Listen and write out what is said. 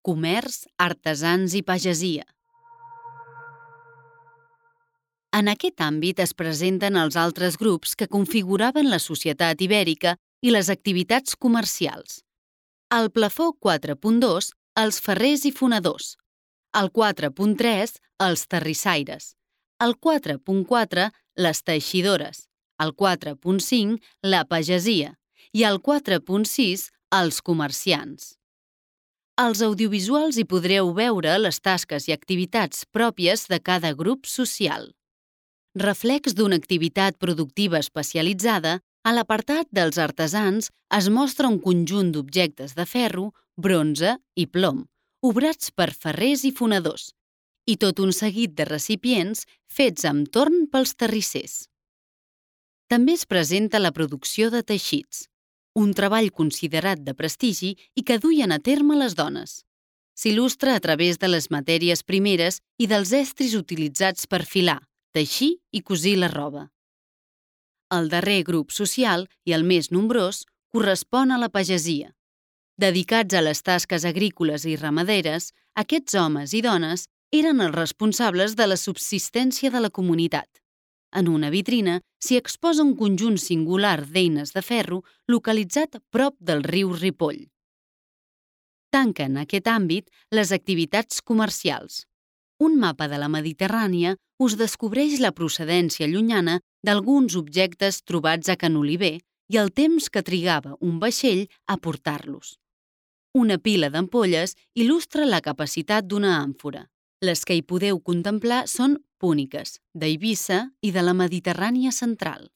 comerç, artesans i pagesia. En aquest àmbit es presenten els altres grups que configuraven la societat ibèrica i les activitats comercials. Al plafó 4.2, els ferrers i fonedors. Al 4.3, els terrissaires. Al 4.4, les teixidores. Al 4.5, la pagesia. I al 4.6, els comerciants. Als audiovisuals hi podreu veure les tasques i activitats pròpies de cada grup social. Reflex d'una activitat productiva especialitzada, a l'apartat dels artesans es mostra un conjunt d'objectes de ferro, bronze i plom, obrats per ferrers i fonedors, i tot un seguit de recipients fets amb torn pels terrissers. També es presenta la producció de teixits, un treball considerat de prestigi i que duien a terme les dones. S'il·lustra a través de les matèries primeres i dels estris utilitzats per filar, teixir i cosir la roba. El darrer grup social, i el més nombrós, correspon a la pagesia. Dedicats a les tasques agrícoles i ramaderes, aquests homes i dones eren els responsables de la subsistència de la comunitat. En una vitrina s'hi exposa un conjunt singular d'eines de ferro localitzat prop del riu Ripoll. Tanquen aquest àmbit les activitats comercials. Un mapa de la Mediterrània us descobreix la procedència llunyana d'alguns objectes trobats a Can Oliver i el temps que trigava un vaixell a portar-los. Una pila d'ampolles il·lustra la capacitat d'una àmfora. Les que hi podeu contemplar són púniques, d'Eivissa i de la Mediterrània central.